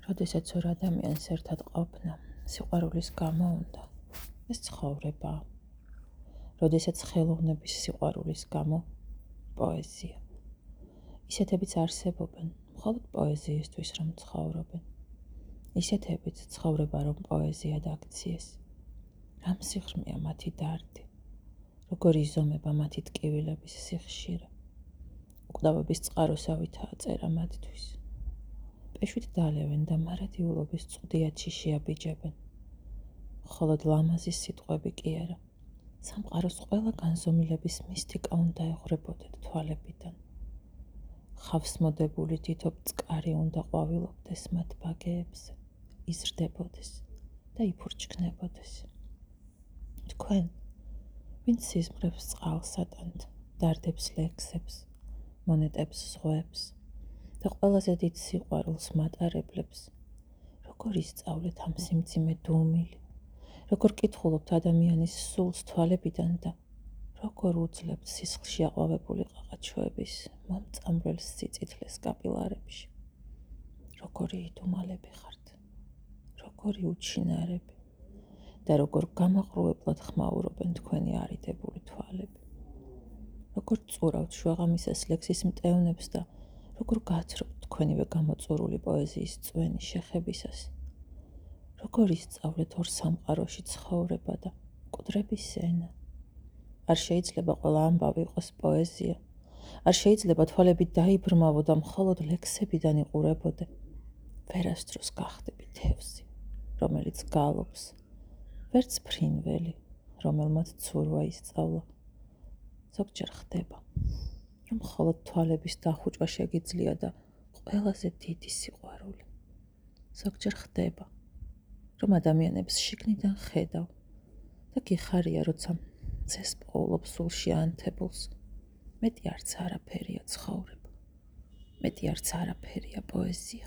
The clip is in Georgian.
როდესაც ორ ადამიანს ერთად ყოფნა, სიყვარულის გამო უნდა, ეს ცხოვრებაა. როდესაც ხელოვნების სიყვარულის გამო, პოეზია. ისეთებიც არსებობენ, მხოლოდ პოეზიისთვის რომ ცხოვრობენ. ისეთებიც ცხოვრება რომ პოეზიად აქციეს. რამ სიღრმეა მათი დარდი, როგორ იზომება მათი ტკივილების სიხშირე. უკვდავების წყაროსავითაა წერა მათთვის. პეშვით დალევენ და მარადიულობის წვდიათში შეაბიჯებენ. მხოლოდ ლამაზის სიტყვები კი არა. სამყაროს ყველა განზომილების მისტიკა უნდა ეღვრებოდეთ თვალებიდან. ხავს მოდებული თითო წყარი უნდა ყვავილობდეს მათ ბაგეებზე, იზრდებოდეს და იფურჩქნებოდეს. თქვენ, ვინც სიზმრებს წყალსატანთ, დარდებს ლექსებს, მონეტებს ზღვებს და ყველაზე დიდ სიყვარულს მატარებლებს, როგორ ისწავლეთ ამ სიმძიმე დუმილი, როგორ კითხულობთ ადამიანის სულს თვალებიდან და როგორ უძლებთ სისხლში აყვავებული ყაყაჩოების მომწამვრელ სიწითლეს კაპილარებში. როგორი იდუმალები ხართ, როგორი უჩინარები და როგორ გამაყრუებლად ხმაურობენ თქვენი არიდებული თვალები. როგორ წურავთ შუაღამისას ლექსის მტევნებს და როგორ გათრობთ თქვენივე გამოწურული პოეზიის წვენი შეხებისას. როგორ ისწავლეთ ორ სამყაროში ცხოვრება და მკვდრების ენა. არ შეიძლება ყველა ამბავი იყოს პოეზია. არ შეიძლება თვალები დაიბრმავო და მხოლოდ ლექსებიდან იყურებოდე. ვერასდროს გახდები თევზი, რომელიც გალობს, ვერც ფრინველი, რომელმაც ცურვა ისწავლა. ზოგჯერ ხდება, რომ მხოლოდ თვალების დახუჭვა შეგიძლია და ყველაზე დიდი სიყვარული. ზოგჯერ ხდება, რომ ადამიანებს შიგნიდან ხედავ და გიხარია, როცა ძეს პოულობ სულში ანთებულს. მეტი არც არაფერია ცხოვრება, მეტი არც არაფერია პოეზია.